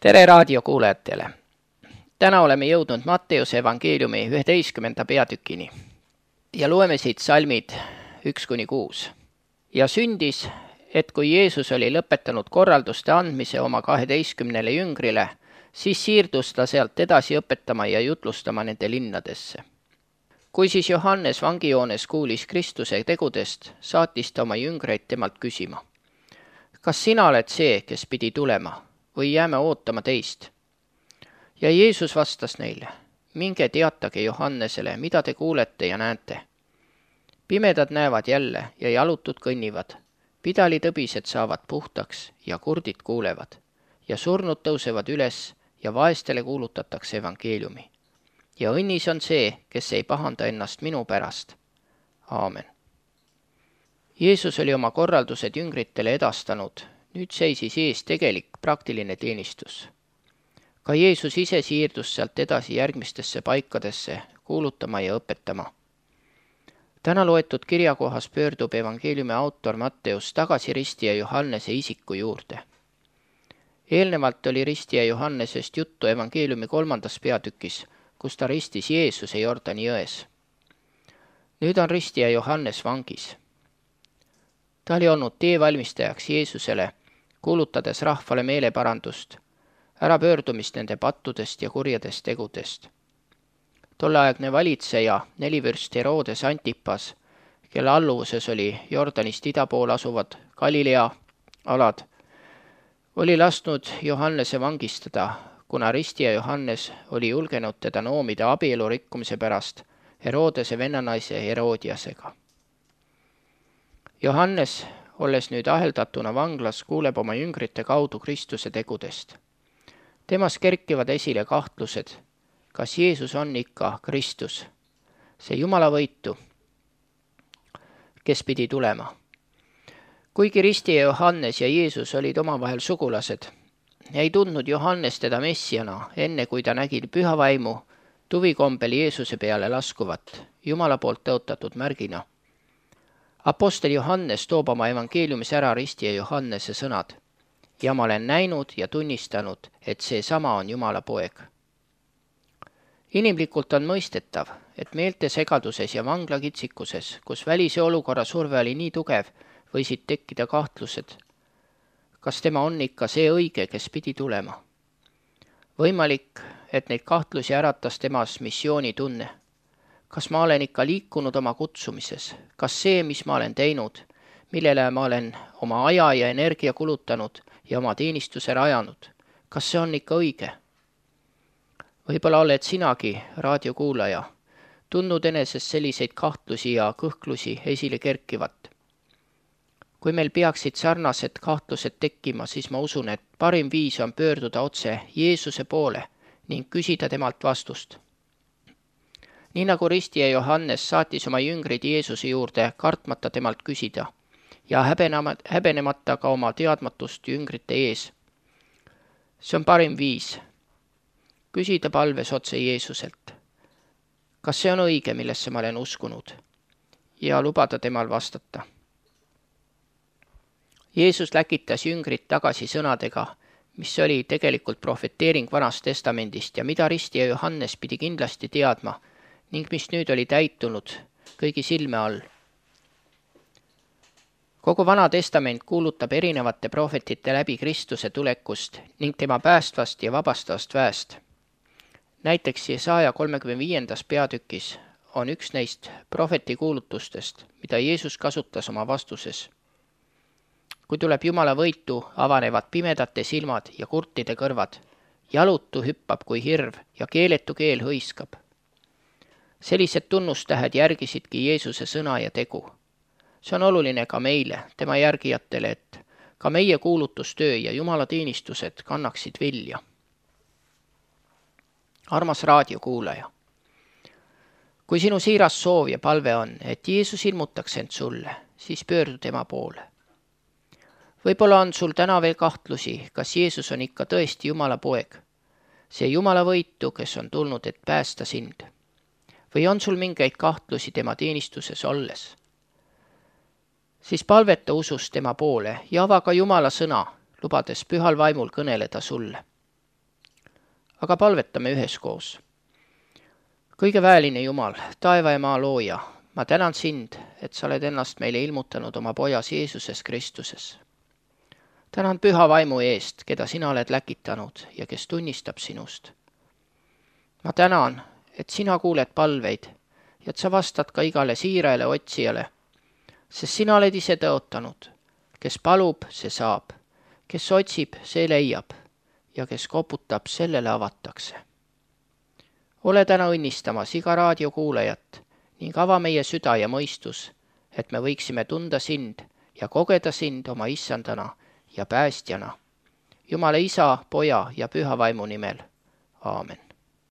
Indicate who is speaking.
Speaker 1: Tere raadiokuulajatele! Täna oleme jõudnud Matteuse evangeeliumi 11. peatükini ja loeme siit salmid 1-6. Ja sündis, et kui Jeesus oli lõpetanud korralduste andmise oma 12 jüngrile, siis siirdus ta sealt edasi õpetama ja jutlustama nende linnadesse. Kui siis Johannes vangijoones kuulis Kristuse tegudest, saatis ta oma jüngreid temalt küsima: kas sina oled see, kes pidi tulema, või jääme ootama teist? Ja Jeesus vastas neile: minge teatage Johannesele, mida te kuulete ja näete. Pimedad näevad jälle ja jalutud kõnnivad, pidalitõbised saavad puhtaks ja kurdid kuulevad ja surnud tõusevad üles ja vaestele kuulutatakse evangeeliumi. Ja õnnis on see, kes ei pahanda ennast minu pärast. Aamen. Jeesus oli oma korraldused jüngritele edastanud, nüüd seisis ees tegelik praktiline teenistus. Ka Jeesus ise siirdus sealt edasi järgmistesse paikadesse kuulutama ja õpetama. Täna loetud kirjakohas pöördub evangeeliumi autor Matteus tagasi ristija Johannese isiku juurde. Eelnevalt oli ristija Johannesest juttu evangeeliumi 3. peatükis, kus ta ristis Jeesuse Jordani jões. Nüüd on ristija Johannes vangis. Ta oli olnud teevalmistajaks Jeesusele, kuulutades rahvale meeleparandust, ärapöördumist nende pattudest ja kurjadest tegudest. Tolleaegne valitseja, nelivürst Herodes Antipas, kelle alluvuses oli Jordanist ida pool asuvad Galilea alad, oli lasknud Johannese vangistada, kuna ristija Johannes oli julgenud teda noomida abielu rikkumise pärast Herodese vennanaise Herodiasega. Johannes, olles nüüd aheldatuna vanglas, kuuleb oma jüngrite kaudu Kristuse tegudest. Temas kerkivad esile kahtlused, kas Jeesus on ikka Kristus, see Jumala võitu, kes pidi tulema. Kuigi ristija Johannes ja Jeesus olid omavahel sugulased, ei tundnud Johannes teda messiana, enne kui ta nägi püha vaimu tuvikombel Jeesuse peale laskuvat, Jumala poolt tõotatud märgina. Apostel Johannes toob oma evangeeliumis ära ristija Johannese sõnad: ja ma olen näinud ja tunnistanud, et see sama on Jumala poeg. Inimlikult on mõistetav, et meelte segaduses ja vanglakitsikuses, kus välise olukorra surve oli nii tugev, võisid tekkida kahtlused, kas tema on ikka see õige, kes pidi tulema. Võimalik, et neid kahtlusi äratas temas missioonitunne. Kas ma olen ikka liikunud oma kutsumises? Kas see, mis ma olen teinud, millele ma olen oma aja ja energia kulutanud ja oma teenistuse rajanud, kas see on ikka õige? Võib-olla oled sinagi, raadiokuulaja, tundnud enesest selliseid kahtlusi ja kõhklusi esile kerkivat. Kui meil peaksid sarnased kahtlused tekkima, siis ma usun, et parim viis on pöörduda otse Jeesuse poole ning küsida temalt vastust. Nii nagu ristija Johannes saatis oma jüngrid Jeesuse juurde kartmata temalt küsida ja häbenemata ka oma teadmatust jüngrite ees. See on parim viis. Küsida palves otse Jeesuselt. Kas see on õige, millesse ma olen uskunud? Ja lubada temal vastata. Jeesus läkitas jüngrid tagasi sõnadega, mis oli tegelikult profeteering Vanast Testamendist ja mida ristija Johannes pidi kindlasti teadma ning mis nüüd oli täitunud kõigi silme all. Kogu Vana Testament kuulutab erinevate prohvetite läbi Kristuse tulekust ning tema päästvast ja vabastavast väest. Näiteks Jesaja 35. peatükis on üks neist prohveti kuulutustest, mida Jeesus kasutas oma vastuses. Kui tuleb Jumala võitu, avanevad pimedate silmad ja kurtide kõrvad, jalutu hüppab kui hirv ja keeletu keel hõiskab. Sellised tunnustähed järgisidki Jeesuse sõna ja tegu. See on oluline ka meile, tema järgijatele, et ka meie kuulutustöö ja Jumala teenistused kannaksid vilja. Armas raadiokuulaja, kui sinu siiras soov ja palve on, et Jeesus ilmutaks end sulle, siis pöördu tema poole. Võib-olla on sul täna veel kahtlusi, kas Jeesus on ikka tõesti Jumala poeg, see Jumala võitu, kes on tulnud, et päästa sind. Või on sul mingeid kahtlusi tema teenistuses olles? Siis palveta usus tema poole ja ava ka Jumala sõna, lubades pühal vaimul kõneleda sulle. aga palvetame üheskoos. Kõige väeline Jumal, taeva ja maa looja, ma tänan sind, et sa oled ennast meile ilmutanud oma pojas Jeesuses Kristuses. Tänan püha vaimu eest, keda sina oled läkitanud ja kes tunnistab sinust. Ma tänan, et sina kuuled palveid ja et sa vastad ka igale siirale otsijale, sest sina oled ise tõotanud, kes palub, see saab, kes otsib, see leiab ja kes koputab, sellele avatakse. Ole täna õnnistamas iga raadiokuulajat ning ava meie süda ja mõistus, et me võiksime tunda sind ja kogeda sind oma issandana ja päästjana. Jumala Isa, Poja ja Püha Vaimu nimel. Aamen.